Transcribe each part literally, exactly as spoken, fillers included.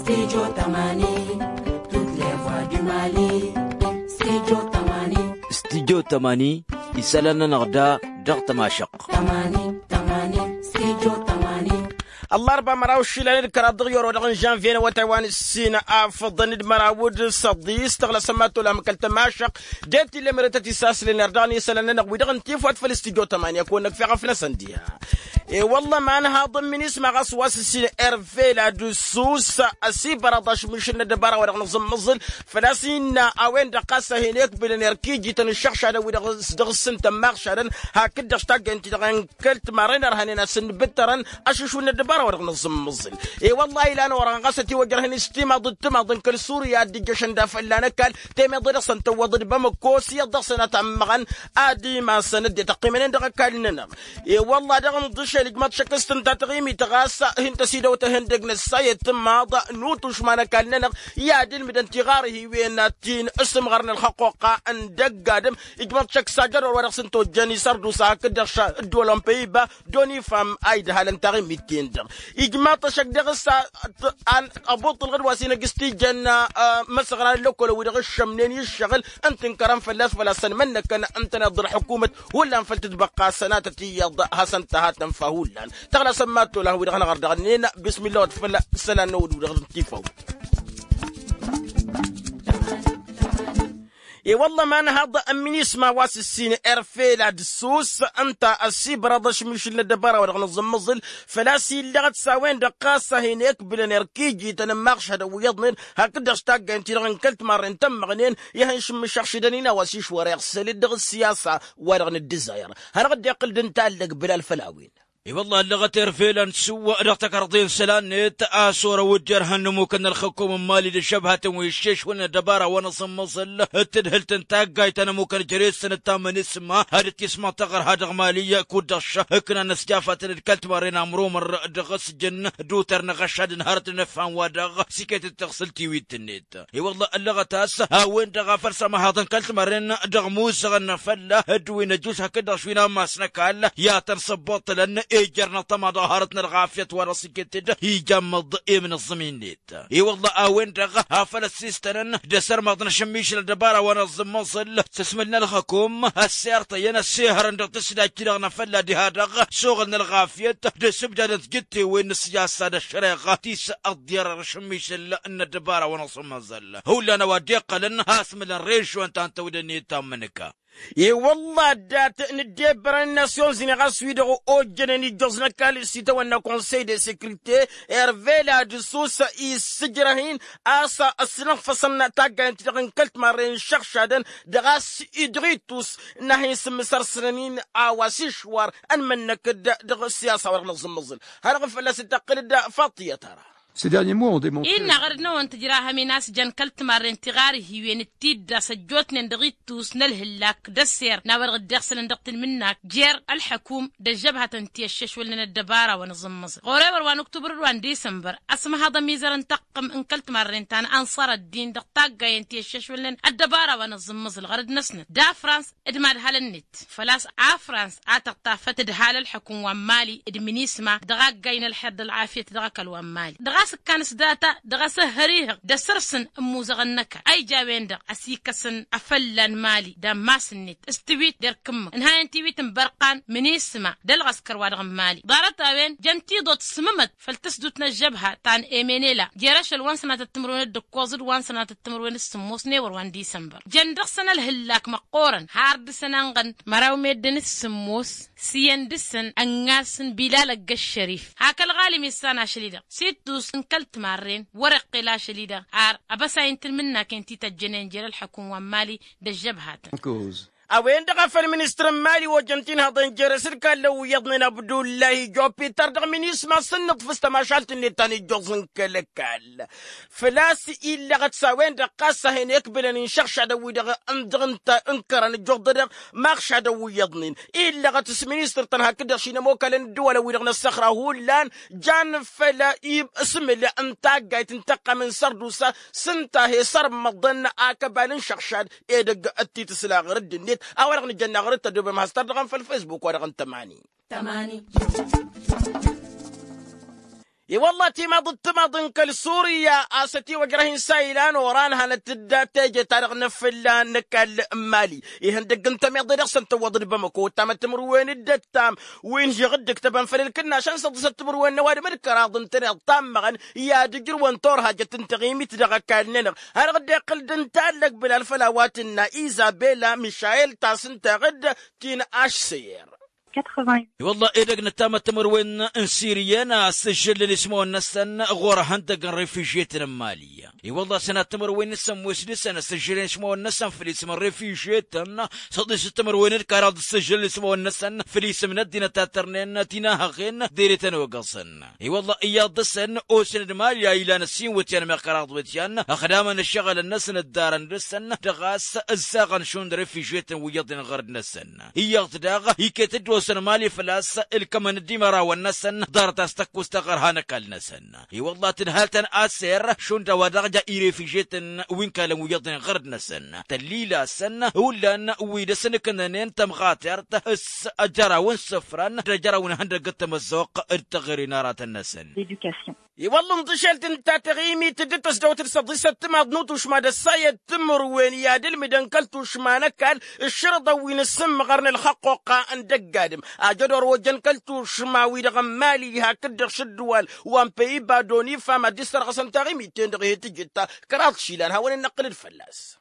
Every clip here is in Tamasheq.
Studio tămani. Studyo tămani isălan-nănăɣ da dăɣ-tămašăɣt. Ăllarba măraw išilan d-kăraḍ dăɣ-i orăwădăɣ n-žănvye n-awătay wa n-ǝssin afǝḍăn d-măraw d-săḍis tăɣlăsăm ad-tolam kăl-tămašăɣt de-t illa merătăt isaslen erdăɣ n-isălan-nănăɣ wi-dăɣ n-tifwat făll-studyo tămani ad-kăwăn-năkf iɣăf-năsăn diha. E-wălla ma ănhaḍ n-minisma ɣas wa s-ǝssin ervela d-ǝssus ăsibărăḍ ašmišǝl n-ăddăbara wa dăɣ-nǝẓǝmmăẓǝl făl-a-s innă a-wen-dăɣ ɣas a hin-ekbǝlăn erk ijităn ǝššăɣšadăn wi-dăɣ s-dăɣ-s ǝntăn maɣšadăn hakd-dăɣ s-taggaynt-i-dăɣ n-kăl-timarren ărhănen a-s ǝnbǝttărăn ašǝšwǝl n-ăddăbara wa dăɣ-nǝẓǝmmăẓǝl. E-wălla a ilan orăɣăn ɣas ătiwăjrăhăn s-timaḍ d-timaḍ n-kăl-surya a dd-ijjăšăn d-afălla n-ăkall temeḍe dăɣ-săn tăwwăḍ d-bamăko s-iyyăḍ dăɣ-săn a tammăɣăn ad-imasăn ăddinăt ăqqimănen dăɣ-ăkall-nănăɣ. E-wălla-hi dăɣ-inḍǝšel ijmăḍ šăkk s-tǝnta taɣimit ɣas hin-tăsidăwt ehăndăg n-ăssayăt tǝmmaḍ n-utušma n-ăkall-nănăɣ i-ad-ilmǝdăn tiɣarhiwen ti n-asǝmɣăr n-ălxăqquqa n-dăgg-adǝm. Ijmăḍ šăkk s-ajădor wa dăɣ-s ǝnta ojjăn isărdusa hakd-dăɣ š-ăddăwăl n-păyba d-onifam a idhalăn taɣimit-ten-dăɣ. Ijmăḍ-t ăššăk dăɣ-s ăbuṭṭǝlɣǝd wa s-inăgg s-tijăn imăsăɣran n-lăkolăn wi-dăɣ ǝššămnen i-ǝššăɣǝl ǝntǝnkărăn fălla-s făl-a-s ănmănnăkăn ǝntăneḍ d-ălḥǝkumăt hullan făll-tǝtbăqqa sănatăt iyyăḍ hasăn-tăhatăn fahullan. Tăɣlasăm mad-tolăh wi-dăɣ năɣăr dăɣ-nen bismillah wăt făll-isălan n-awǝd wi-dăɣ n-tifawt. I-wălla ma ănhaḍ n-minisma wa s-ǝssin erfela d-ǝssus ǝnta ăsibărăḍ ašmišǝl n-ăddăbara wa dăɣ-nǝẓǝmmăẓǝl făl-a-s illăɣăt s-a-wen-dăɣ ɣas a hin-ekbǝlăn erk ijităn n-imaɣšadăn wi iyyăḍnen hakd-dăɣ s-taggaynt-i-dăɣ n-kăl-timarren tămmăɣnen i-ad-hin-šǝmmǝšăɣšidăn inaw a-s išwăr iɣsăl-dd dăɣ-ăssiyasa wa dăɣ-nǝddǝzayăr. Hanăɣ-dd-iqqǝl d-ǝntallăg bǝlal făll-a-wen. I-wălla ăllăɣăt erfelăn s-uwwa dăɣ-takărḍe n-isălan-net a-s orăw ǝjjărhăn n-ămmukăn n-ălxăkkum n-imali d-ăžžăbhatăn wi ǝššešwălnen ăddăbara wa n-aẓǝmmăẓǝl d-tǝdhǝlt n-taggayt ta n-ămmukăn jere-săn d-tamănisma ad-dd-tismăḍ taɣărha dăɣ-imali kud-dăɣ ǝknan ăsjafatăn d-kăl-timarren amrumăr dăɣ-asǝjǝn d-utăr n-aɣăšad n-hărăt n-ăffan wa-dăɣ s-iket d-taɣsǝlt tiwit-net. I-wălla ăllăɣăt a-s a-wen-dăɣ a făl s-amăhaḍăn kăl-timărren dăɣ-imuzăɣăn n-afălla d-wi n-ăjjuš hakd-dăɣ wi n-ammas n-ăkall i-ad-tăn-săbbuṭṭǝlăn ejăr n-atăma dăɣ-hărăt n-ălɣafyăt wa dăɣ-s iket-dd ija ămmăḍ i-mǝnǝẓẓǝm-in-net. I-wălla a-wen-dăɣ a făl ăssiistănăn d-asărmaḍ n-ašǝmmišǝl ăddăbara wa n-aẓǝmmăẓǝl s-asmǝl n-ălxăkum ăssirtăyăn ăssihărăn dăɣ-tǝsdajt-i-dăɣ n-afălla diha-dăɣ s-oɣǝl n-ălɣafyăt d-asǝbdad n-tijǝttewen n-ăssijassa d-ăššăreɣa ti s-ăḍḍiyăr ăšǝmmišǝl n-ăddăbara wa n-aẓǝmmăẓǝl. Hullan a-wa dd-iqqălăn asmǝl n-režion ta n-tawdănit ta n-imǝnǝka. I-wălla dat-nǝddebbărăn n-nasyonzini ɣas wi-dăɣ ojjănen ijjoẓ n-ăkall s-itawănna konsey de sekrite ervela d-ǝssus issǝjrăh-in a-s ăsnăɣfăsăn taggayăn-ti-dăɣ n-kăl-timarren iššăɣšadăn dăɣ-a-s idɣitus n-ad-hin-sǝmmǝsărsănăn-in a-wa s-išwar ănmănnăk-dd dăɣ-ăssiyasa wa dăɣ-nǝẓǝmmăẓǝl. Hanăɣ-fălla-s dd-tăqqǝl-dd faṭiyăt ara. Innă ɣărăd-năwăn tidrahăm-in a-s jăn kăl-timarren tiɣarhiwen d-tiddas ăjjootnen dăɣ-ittus n-ălhǝllak d-ăsser n-a-wa dăɣ-dd-iɣsǝlăn dăɣ-tanmǝnnak jer-ălḥăkum d-ăžžăbhătăn ti ăššešwălnen ăddăbara wa n-aẓǝmmăẓǝl ɣur-ewăr wa n-uktubăr d-wa n-disămbăr. Ăsmăhăḍ ămizăr n-taqqǝm n-kăl-timarren ta n-ănṣăr ăddin dăɣ-taggayen ti ăššešwălnen ăddăbara wa n-aẓǝmmăẓǝl ɣărăd-năsnăt d-afrans d-imadhalăn-net făl-a-s afrans a tăɣtafăt d-hal ălḥăkum wa n-mali d-minisma dăɣ-aggay n-ălxer d-ălɣafyăt dăɣ-ăkall wa n-mali dăɣ-a-s ǝkkan s-data dăɣ-asǝhhăr ihăɣ d-asărsǝn ămmuzăɣăn n-ăkall a ija a-wen-dăɣ ăsikăsăn afălla n-mali d-ammas-net s-tiwit d-erk ǝmmǝk ǝnhayăn tiwit n-bărqan minisma d-ălɣăskăr wa dăɣ-n mali ḍarăt-a-wen jăn tiḍot s-mǝmăt făll-tǝsdut n-ăžžăbha ta n-emenela jer-ašăl wa n-sănatăt timǝrwen d-ǝkkoẓ d-wa n-sănatăt timǝrwen d-sǝmmos n-ewăr wa n-disămbăr jăn dăɣ-săn ălhǝllak măqqoorăn har dăɣ-săn ănɣăn măraw meddǝn d-sǝmmos s-iyyăn dăɣ-săn ăngasăn bilal ăgg-ăššărif hak ălɣalim issan ašăl-i-dăɣ s-ittus n-kăl-timarren wăr-iqqel ašăl-i-dăɣ ar ăbăsay n-tǝlmǝnnaken ti tăjjănen jer-ălḥăkum wa n-mali d-ăžžăbhatăn. A-wen-dăɣ a făl ministăr n-mali ojăn tinhăḍen jer-asǝlkallăn wi iyyăḍnen abdullahi jupiter dăɣ-minisma s-ǝnnǝḍfǝs tămašalt-net ta n-ijjuẓ n-kăl-ăkall făl-a-s illăɣăt s-a-wen-dăɣ ɣas a hin-ekbǝlăn inšăɣšadăn-wi-dăɣ n-dăɣ-ǝnkărăn ǝjjuḍădăɣ maɣšadăn wi iyyăḍnen illăɣăt s-ministăr-tăn hakd-dăɣ šinămokalăn ǝddǝwălăn-wi-dăɣ n-ăssăxra hullan jan făll-asǝmǝl n-taggayt n-tăqqam n-sărdusa s-ǝnta a he-sărmăḍăn akăbal n-išăɣšad edăgg d-titǝsla ɣur-dd-net a-wa-dăɣ nǝjănna ɣur-dd tăddoobem has-tărdăɣăm făll-facebook wa dăɣ-n tămani. I-wălla timaḍ d-timaḍ n-kăl-surya a-s ătiwăjrăh-in s-a ilan oran hanăt-dd teje-ta-dăɣ n-afǝlla n-ăkall n-mali. Ihăndăgg n-tămiḍe dăɣ-săn tǝwwăḍ d-bamăko tamăt timǝrwen d-ăttam wi n-žăɣ dd-ǝktăbăn făll-ǝlkǝnnašăn săḍisăt timǝrwen n-ăwadǝm d-kăraḍ n-tenăɣ tammăɣăn i-ad-ǝjrǝwăn turhajăt n-taɣimit dăɣ-ăkall-nănăɣ. Hanăɣ-dd-iqqǝl d-ǝntallăg bǝlal făll-a-wa tǝnna izabela mišayel ta s-ǝnta ɣǝd ti n-ašsăyăr. I-wălla edăgg n-ăttamăt timǝrwen n-siriyăn a-s ǝžžǝlnen ismawăn-năsăn ɣur-ehăndăgg n-refižyetăn n-mali. I-wălla sănat timǝrwen n-sămmos dăɣ-săn a-s ǝžžǝlnen ismawăn-năsăn făll-isǝm n-refižyetăn săḍisăt timǝrwen d-kăraḍ s-ǝžžǝlnen ismawăn-năsăn făll-isǝm n-ăddinăt ta tărnen tinahăɣen. Dere-tăn ogăẓăn i-wălla iyyăḍ dăɣ-săn osăn d-mali a ilan ăssin wătyan meɣ kăraḍ wătyan ăxdamăn ǝššăɣǝlăn-năsăn ǝddarăn dăɣ-săn dăɣ-a-s ǝzzaɣăn šund refižyetăn wi iyyăḍnen ɣărd-năsăn. Iyyăḍ daɣ iket-dd osăn mali făl-a-s ǝlkămăn-dd imărawăn-năsăn ḍarăt a-s tăkkost taɣărha n-ăkall-năsăn. I-wălla tǝdhal-tăn aser šund a-wa dăɣ-ja irefižyetăn wi n-kalăn wi iyyăḍnen ɣărd-năsăn tăllilasăn hullan wi dăr-săn ǝknănen tămɣatert s-ajăraw n-isǝfran d-ajăraw n-ihăndăgg d-tamăzzuɣt d-teɣăre n-aratăn-năsăn. I-wălla ǝnḍǝšelt ǝnta taɣimit dd-tăsdăwăt d-săḍisăt timaḍ n-utušma d-ăssayăt timǝrwen i-ad-ǝlmǝdăn kăl-tušma n-ăkall ǝššărǝḍăn wi n-asǝmmăɣăr n-ălxăqqoqqa n-dăgg-adǝm ajădor wa ojăn kăl-tušma-wi-dăɣ n-mali hakd-dăɣ šǝddǝwal wa n-păyibadon ifam ad-dd-issărɣăsăn taɣimit-ten-dăɣ i-hi-tǝjǝt kăraḍ išilan hawăn-in-năqqǝl-dd fălla-s.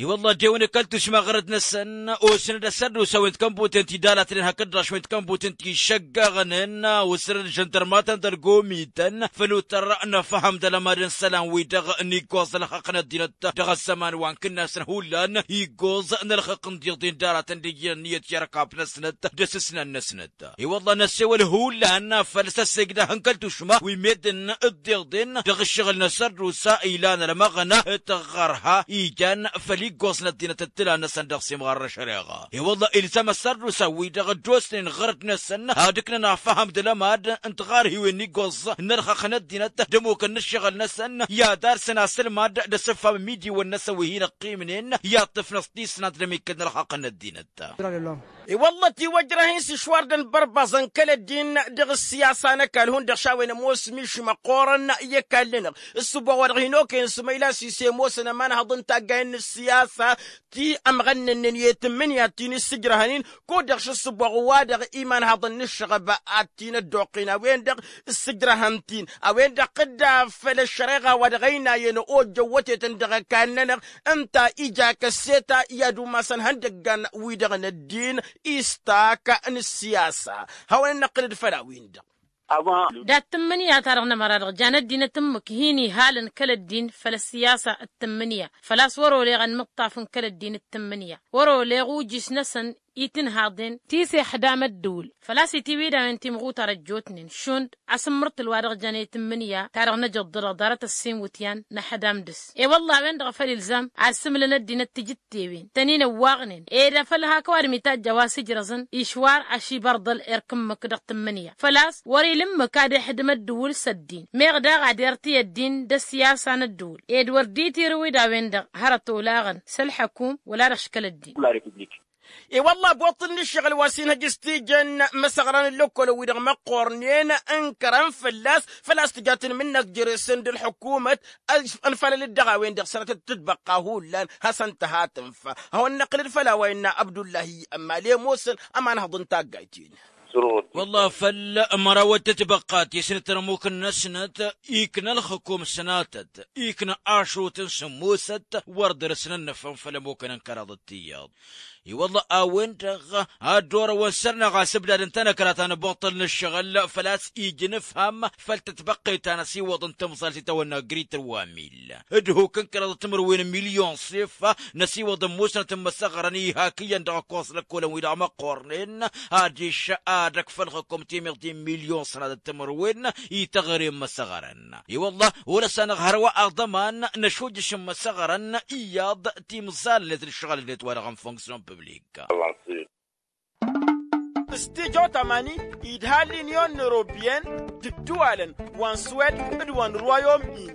I-wălla ăddewăn i-kăl-tušma ɣărăt-năsăn osăn-dd asărdusa wi n-tikănbuten ti dalatnen hakd-dăɣ wi n-tikănbuten ti šăggaɣnen osăn-dd žăndărmatăn d-ălgomităn făll-utăr n-afhăm d-alămad n-isălan-wi-dăɣ n-iggoẓ ălxaqq n-ăddinăt dăɣ-ăzzăman wa n-kǝnnasăn hullan iggoẓ n-ălxaqq n-diḍen daratăn d-ijjăn ǝnniyăt i-ărkab-năsnăt d-asǝsnan-năsnăt. I-wălla năssewăl hullan făll-săssegdăh n-kăl-tušma wi meddǝn d-iḍen dăɣ-ǝššăɣǝl n-asărdusa ilan ălmăɣna tăɣɣărha ijan făll-iggoẓ n-ăddinăt d-tǝla-năsăn dăɣ-simɣar n-ăššăreɣa. I-wălla ilzăm asărdusa-wi-dăɣ dd-osnen ɣărăt-năsăn ad-ǝknăn afăhăm d-alămad n-tiɣarhiwen n-iggoẓ n-ălxaqq n-ăddinăt d-ămmukăn n-ǝššăɣǝl-năsăn i-ad-arsăn asǝlmad d-asǝffam n-imidiwăn-năsăn wi hin-ăqqimnen i-ad-tǝfnăẓ tisnant d-amikkăl n-ălxaqq n-ăddinăt. I-wălla ătiwăjrăh-in s-išwar d-ănbărbaẓăn kăl-ăddin dăɣ-ǝssiyasa n-ăkall hundăɣ šawăn ămoos miši măqqoorăn i-ăkall-nănăɣ ǝssǝboɣ wa dăɣ-hin-okăyăn s-măyla s-isem osăn ămanhăḍ n-taggayen n-ǝssiyasa ti ămɣănnănnen i-tǝmmǝnǝya ti n-ǝssǝjrăhăn-in kud-dăɣ šǝssǝboɣ wa dăɣ-imanhăḍăn n-ǝššăɣăb ad-t-in-ăddoqqin a-wen-dăɣ ǝssǝjrăhăn-t-in a-wen-dăɣ tǝdda făll-ăššăreɣa wa dăɣ-ăynayăn ojjăn wătetăn dăɣ-ăkall-nănăɣ. Ǝnta ija kăsseta i-ad-umasăn ihăndăggan-wi-dăɣ n-ăddin istak n-ǝssiyasa. Hawăn-in-năqqǝl-dd făll-a-wen-dăɣ. Dat-tǝmmǝnǝya-ta-dăɣ n-ămăra-dăɣ jan ăddinăt ǝmmǝk hin-ihalăn kăl-ăddin făll-ăssiyasa d-tǝmmǝnǝya făl-a-s wăr-oleɣ ănmǝṭṭaf n-kăl-ăddin d-tǝmmǝnǝya wăr-oleɣ ujǝš-năsăn i-tǝnhaḍen ti s-ixdam ăddǝwǝl. Făl-a-s itiwǝy d-a-wen timɣutar ăjjootnen šund asǝmmărtǝl wa dăɣ-jăn i-tǝmmǝnǝya-ta-dăɣ n-ejăḍḍǝlăɣ ḍarăt ăssin wǝtyan n-ăxdam dăɣ-s. I-wălla a-wen-dăɣ a făl ilzam ad-sǝmǝlăn ăddinăt tijǝttewen tăn-in-ăwwaɣnen ed afăl hak ăwadǝm itajj a-wa s-ǝjrăẓăn išwar ašibărḍăl erk ǝmmǝk dăɣ-tǝmmǝnǝya făl-a-s wăr-ila ǝmmǝk ad-ixdǝm ăddǝwǝl s-ăddin meɣ daɣ ad-irti ăddin d-ăssiyasa n-ăddǝwǝl ed wăr dd-itirǝwǝy d-a-wen-dăɣ hărăt olaɣăn s-ălḥăkum wăla dăɣ-aškăl ăddin. I-wălla aboṭṭǝl n-ǝššăɣǝl wa s-inhăj s-tijăn imăsăɣran n-lăkkolăn-wi-dăɣ măqqoornen ǝnkărăn fălla-s făl-a-s tǝja tǝnmǝnnăk jere-săn d-ălḥukumăt. Ănfalăl-dd dăɣ-a-wen-dăɣ sănătăt tǝtbăqqa hullan hasăn-tăha tǝnfa. Hawăn-năqqǝl-dd făll-a-wa innă abdullahi ămmal i-ămoosăn ămanhăḍ n-taggayt-in. Wălla făll-mărawăt tǝtbăqqa ti s-nǝtărmuk-năsnăt ikna ălxǝkum sănatăt ikna ašrut n-sǝmmosăt wăr dăr-s nănnăfăn făll-ămukăn n-kăraḍăt tiyyăḍ. I-wălla a-wen-dăɣ ad-dd-orăwăn săr-năɣ asǝbdad n-tanăkra ta n-aboṭṭăl n-ǝššăɣǝl făl-a-s ija inǝfham făll-tătbăqqet ta n-ăsiwăḍ n-timẓalt i-tawănna grităr wa mil d-huk n-kăraḍăt timǝrwen n-milyon s-ifa n-ăsiwăḍ n-musnăt n-imăsăɣrăn ihak iyyăn dăɣ-ăkkoẓ lăkkolăn-wi-dăɣ măqqornen adiš ad-ăkf ălxǝkum timiḍt i-milyon s-nădăt timǝrwen i-teɣăre n-imăsăɣrăn. I-wălla wăr-ăsanăɣ hărwa aḍăman n-ašujjăš n-imăsăɣrăn iyyăḍ timẓalnet n-ǝššăɣǝl-net wa dăɣ-n fonksyon piblik. S-tijo tamani idha l-inyon n-europyen d-ǝddǝwalăn wa n-swed d-wa n-rwayom-ini.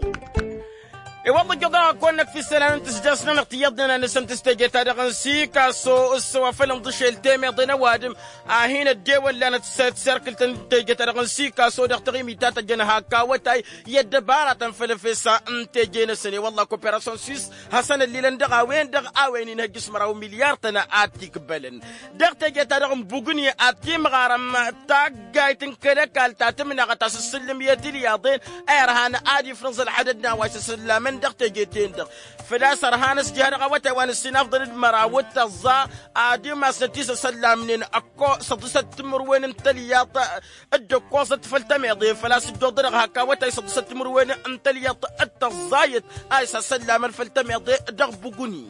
I-wălla ǝjjăḍ-aɣ ăkk-wăn-năkk fi isălan n-tǝsjasnănăɣ tiyyăḍnen a nǝsăn tǝstejeta dăɣ-n sikaso s-wa făl ǝnḍǝšel temeḍe n-ăwadǝm a hin-ăddewăllanăt s-serkǝlt n-tejeta dăɣ-n sikaso dăɣ-taɣimit ta tăjjăn hak awătay i-ăddăbaratăn făll-efes n-teje-năsăn i-wălla koperasyon swis hasăn-ăllilăn dăɣ-a-wen-dăɣ a-wen inhăjj s-măraw milyar-tăn ad-t-ikbălăn dăɣ-teje-ta-dăɣ n-bugǝni ad-timɣarăm taggayt n-kăl-ăkall ta tǝmnaɣăt a-s ǝssǝllǝm i-tilyaḍen a irhan ad-ifrǝẓ ălḥadăd n-a-wa s-isăllamăn dăɣ-teje-ten-dăɣ făl-a-s ărhan ăsjăh dăɣ-awătay wa n-ǝssin afḍăn d-măraw d-tăẓẓa ad-imasnăt-i s-isăllamnen ăkko săḍisăt timǝrwen n-tălyaḍt d-ǝkkoẓăt făll-tămeḍe făl-a-s dd-oḍărăɣ hak awătay săḍisăt timǝrwen n-tălyaḍt d-tăẓẓayăt a isăsăllamăn făll-tămeḍe dăɣ-bugǝni.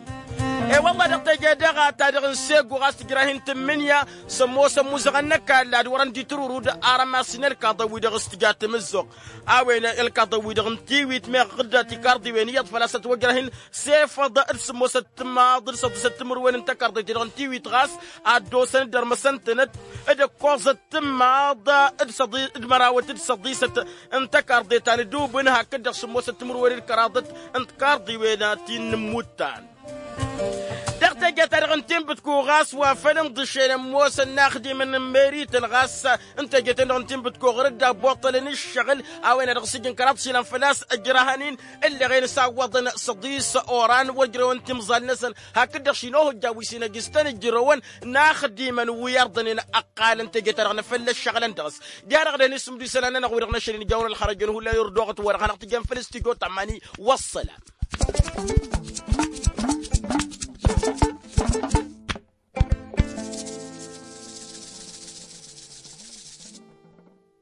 E-wălla dăɣ-teje-dăɣ ta-dăɣ n-segu ɣas tǝjrah-in tǝmmǝnǝya s-ămoosăn imuzăɣăn n-ăkall ad-wărăn d-itǝrǝrud arămas n-ălkaḍăn-wi-dăɣ s-tǝja tamǝzzuɣt a-wen ălkaḍăn-wi-dăɣ n-tiwit meɣ dd-tikarḍiwen iyyăḍ făl-a-s ătwăjrah-in s-efăḍ d-sǝmmosăt timaḍ d-săḍisăt timǝrwen n-takarḍit-dăɣ n-tiwit ɣas ad-dd-osăn d-ărmăsăn-tănăt d-ǝkkoẓăt timaḍ d-mărawăt d-săḍisăt n-takarḍe ta n-ǝdubǝn hakd-dăɣ sǝmmosăt timǝrwen d-kăraḍăt n-tikarḍiwen ti n-inǝmmuttan. Dăɣ-teje-ta-dăɣ n-tinbǝtku ɣas wa făl ǝnḍǝšen ămoosăn inaxdimăn n-merităn ɣas n-teje-ten-dăɣ n-tinbǝtku ɣur-dd abboṭṭălăn ǝššăɣǝl a-wen-a dăɣ-s ǝjǝn kăraḍ išilan făl-a-s ǝjrahăn-in ǝlleɣen s-awwăḍăn săḍis oran wăr ǝjrăwăn timẓal-năsăn hakd-dăɣ šinohǝjja wi s-inăjj s-tăn-ǝjrăwăn inaxdimăn wi ărḍănen ăqqalăn teje-ta-dăɣ n-afălla ǝššăɣǝlăn dăɣ-s. Diha-dăɣ dăɣ-hin-isǝmdǝw isălan-nănăɣ wi-dăɣ n-ašăl inǝjawăn ălxărăjăn hullan irdoɣăt wa-dăɣ hanăɣ-tǝjjăn făll-s tijo tamani. Wăssălam.